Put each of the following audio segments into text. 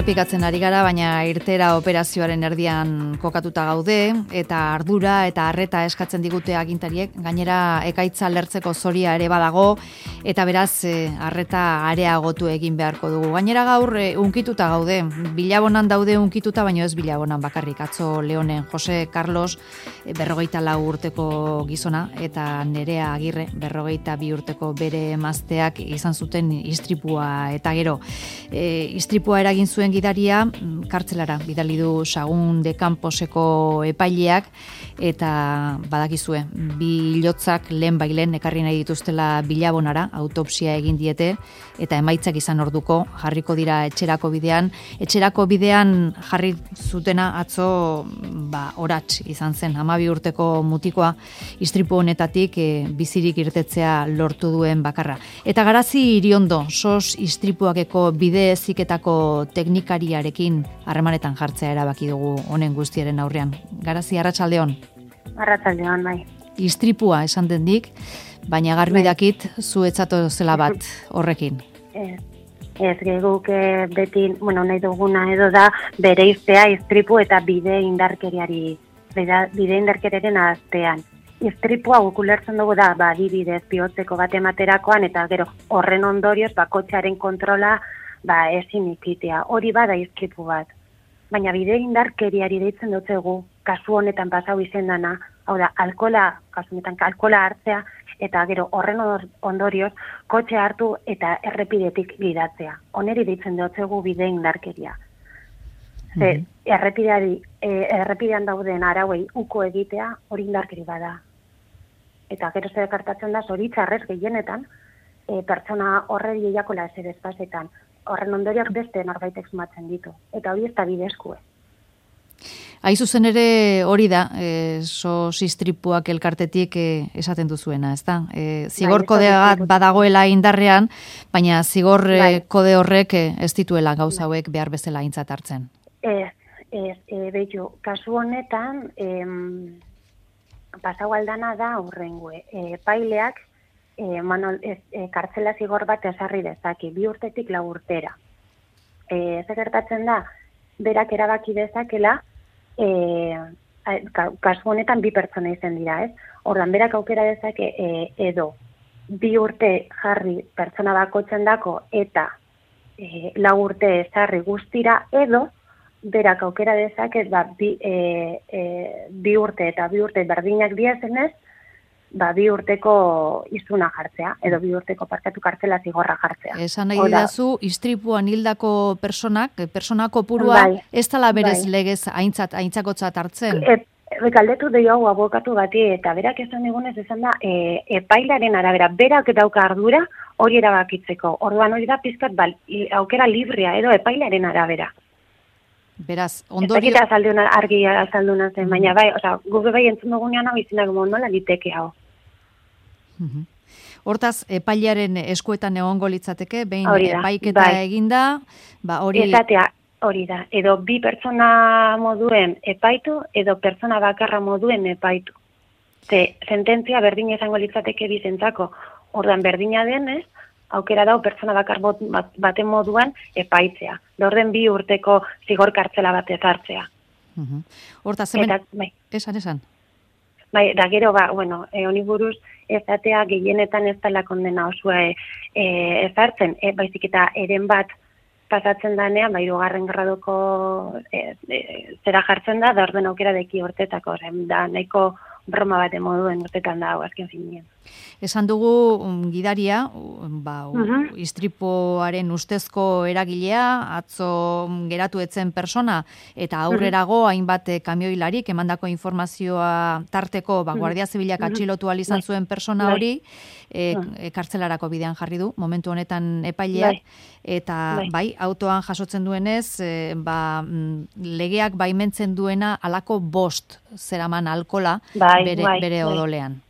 errepikatzen ari gara, baina irtera operazioaren erdian kokatuta gaude, eta ardura eta arreta eskatzen digute agintariek, gainera ekaitza lertzeko zoria ere badago, eta beraz arreta areagotu egin beharko dugu. Gainera gaur unkituta gaude, Bilabonan daude unkituta, baina ez Bilabonan bakarrik. Atzo Leonen Jose Carlos 44 urteko gizona, eta Nerea Agirre 42 urteko bere emazteak izan zuten istripua, eta gero istripua eragin zuen gidaria kartzelara bidali du Sagun de Camposeko epaileak, eta badakizue, 2 hilotzak lehen ekarri nahi dituztela Bilabonara, autopsia egin diete, eta emaitzak izan orduko jarriko dira etxerako bidean jarri zutena atzo orats izan zen, 12 urteko mutikoa istripu honetatik bizirik irtetzea lortu duen bakarra. Eta Garazi Iriondo, SOS istripuakeko bide heziketako teknikariarekin harremanetan jartzea erabaki dugu honen guztiaren aurrean. Garazi, arratsaldeon. Arratsaldeon, bai. Istripua esan dendik, baina garbi dakit zu etzato zela bat horrekin. Ez guk beti, nahi duguna edo da bereiztea istripu eta bide indarkeriaren aztean. Istripua guk ulertzen dugu da, adibidez bihotzeko bat ematerakoan, eta gero horren ondorioz kotxearen kontrola ezin ikitea. Hori bada istripu bat. Baina bide indarkeriari deitzen dutzegu, kasu honetan pasau izendana, hau da, kasu honetan alkohola hartzea, eta gero horren ondorioz kotxe hartu eta errepidetik gidatzea. Honeri deitzen dutzegu bide indarkeria. Errepidean dauden arauei uko egitea hori indarkeri bada. Eta gero zer gertatzen da, zoritxarrez gehienetan, pertsona horreri eiakola ezer espazetan. Horren ondorioak beste norbaitek sumatzen ditu. Eta hori ez da bidezkue. Hain zuzen ere hori da, SOS istripuak elkartetik esaten duzuena, ez da? Zigor kode bat badagoela indarrean, baina zigor kode horrek ez dituela gauza hauek behar bezala aintzat hartzen. Behitu, kasu honetan, pasau aldana da hurrengue. Paileak, kartzela zigor bat esarri dezaki, 2 urtetik 4 urtera. Ez gertatzen da, berak erabaki dezakela, kasu honetan 2 pertsona izen dira, ez? Ordan berak aukera dezake edo 2 urte jarri pertsona bakotzen dako eta 4 urte esarri guztira, edo berak aukera dezake 2 urte eta 2 urte berdinak diazenez, 2 urteko izuna jartzea, edo 2 urteko kartzela zigorra jartzea. Esan nahi didazu, istripuan hildako persona kopurua, ez dela berez legez aintzakotzat hartzen? Galdetu dio hau abokatu bati, eta berak esan egunez esan da, epailaren arabera, berak dauka ardura hori erabakitzeko. Orduan hori da pizkat aukera librea, edo epailaren arabera. Beraz, ondorio... Ez dakita argi azalduna zen, baina gube entzun dugunean hau izinak nola liteke hau. Hortaz, epailearen eskuetan egongo litzateke, behin epaiketa eginda, hori... Ezatea, hori da, edo 2 pertsona moduen epaitu, edo pertsona bakarra moduen epaitu. Sententzia berdin izango litzateke bizentzako, ordan berdina denez, aukera dau pertsona bakar baten moduan epaitzea. Orden 2 urteko zigor kartzela bat ezartzea. Hortaz, hemen... Esan. Da gero, honi buruz ezatea gehienetan ez dela kondena osua ezartzen, baizik eta eren bat pasatzen danean, 3. gradoko zera jartzen da orden aukera deki urtetako, da nahiko broma bat moduen urtetan da, azken finean. Esan dugu gidaria, istripuaren ustezko eragilea, atzo geratu etzen persona, eta aurrerago hainbat kamioilarik emandako informazioa tarteko, Guardia Zibilak atxilotu izan zuen persona hori, kartzelarako bidean jarri du, momentu honetan epaileak, eta autoan jasotzen duenez, legeak baimentzen duena alako 5 zeraman alkola bere odolean.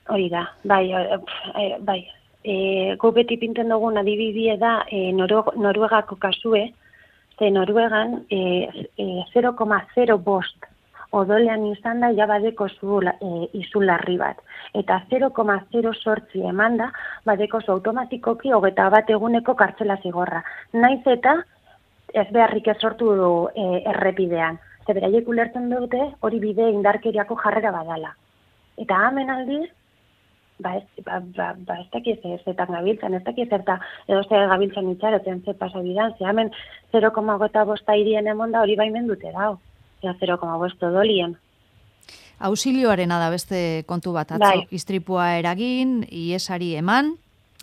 Hori da, bai. Gu beti pinten dugun adibidie da Noruegako kasue, ze Noruegan 0,05 odolean izan da jabadeko izularri bat. Eta 0,08 eman da, badeko automatikoki 21 eguneko kartzela zigorra. Naiz eta ez beharrik ez sortu du errepidean. Ze beraiek ulertzen dute hori bide indarkeriako jarrera badala. Eta hemen aldiz, ez dakiz zertan gabiltzan, ez dakiz zerta edo zer gabiltzan itxarotzen ze pasabidan, ze hemen 0,5 irien emon da hori baimen dute dau, 0,5 odolien. Auxilioarena da beste kontu bat, atzo, istripua eragin, iesari eman,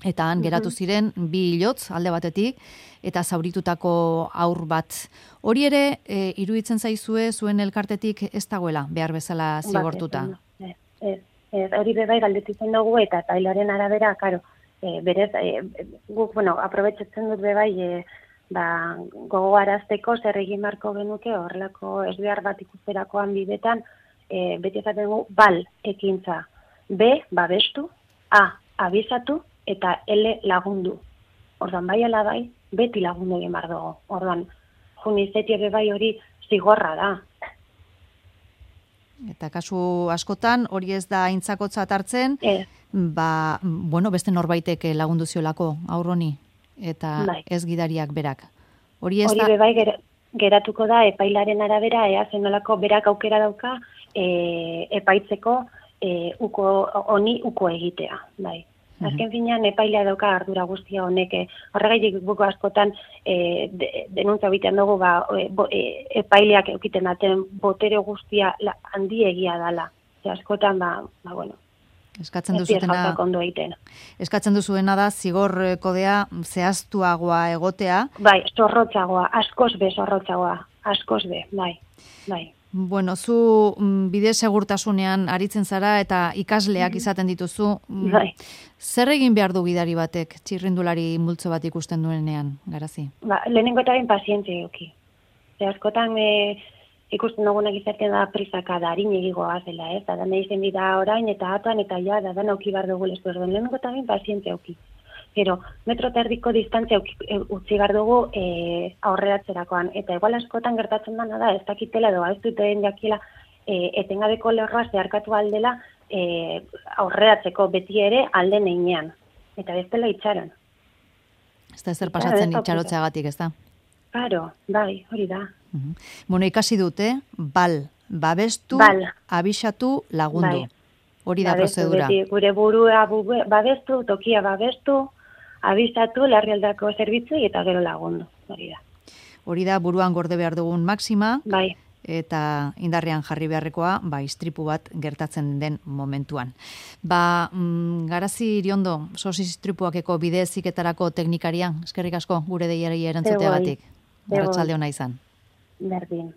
eta han geratu ziren 2 hilotz alde batetik, eta zauritutako haur bat. Hori ere, iruditzen zaizue zuen elkartetik ez dagoela, behar bezala zigortuta. Hori bebai galdetzen dugu, eta tailaren arabera, karo, berez, guk, aprobetxetzen dut bebai, gogoarazteko zer egin marko genuke, horrelako ez behar bat ikusterakoan bidetan, beti ezaten dugu, bal ekintza, B, babestu, A, abizatu, eta L, lagundu. Orduan, bai ala bai, beti lagundu egin behar dugu. Orduan, junizetie bebai hori zigorra da. Eta kasu askotan, hori ez da aintzakotzat hartzen, beste norbaitek lagundu ziolako aurroni, eta ez gidariak berak. Hori bebai geratuko da epailaren arabera, zenolako berak aukera dauka epaitzeko honi uko egitea, bai. Azken finean epailea dauka ardura guztia honek, horregaitik buko askotan denuntza bitean dugu epaileak eukiten daten botere guztia handiegia dala. Askotan, eskatzen duzuena da zigor kodea zehaztuagoa egotea. Bai, zorrotzagoa, askoz be, bai. Bueno, zu bide segurtasunean aritzen zara eta ikasleak izaten dituzu. Zer egin behar du gidari batek, txirrindulari multzo bat ikusten duenean, Garazi? Lehenengo eta ben pazientzia eduki. Askotan ikusten dugunak izaten da prisaka da, harin egigoa zela, ez? Da nahi zen bida orain eta atan eta ja, da auki behar dugu lezu erdoen. Lehenengo eta ben pazientzia eduki. Gero, metro eta erdiko distantzia utzi behar dugu aurreratzerakoan. Eta igual askotan gertatzen dana da, ez dakitela edo ez duten jakiela etengabeko lerroa zeharkatu aldela aurreratzeko beti ere alde neinean. Eta bestela itxaron. Ez da ezer pasatzen itxarotzeagatik, ez da? Claro, bai, hori da. Bueno, ikasi dute, babestu, abisatu, lagundu. Hori da prozedura. Gure burua babestu, tokia babestu, abisatu, larrialdako zerbitzu eta gero lagundu. Hori da buruan gorde behar dugun maxima. Bai. Eta indarrean jarri beharrekoa, istripu bat gertatzen den momentuan. Garazi Iriondo, sos istripuakeko bide heziketarako teknikaria, eskerrik asko gure deiari erantzuteagatik. Arratsalde ona izan. Berdin.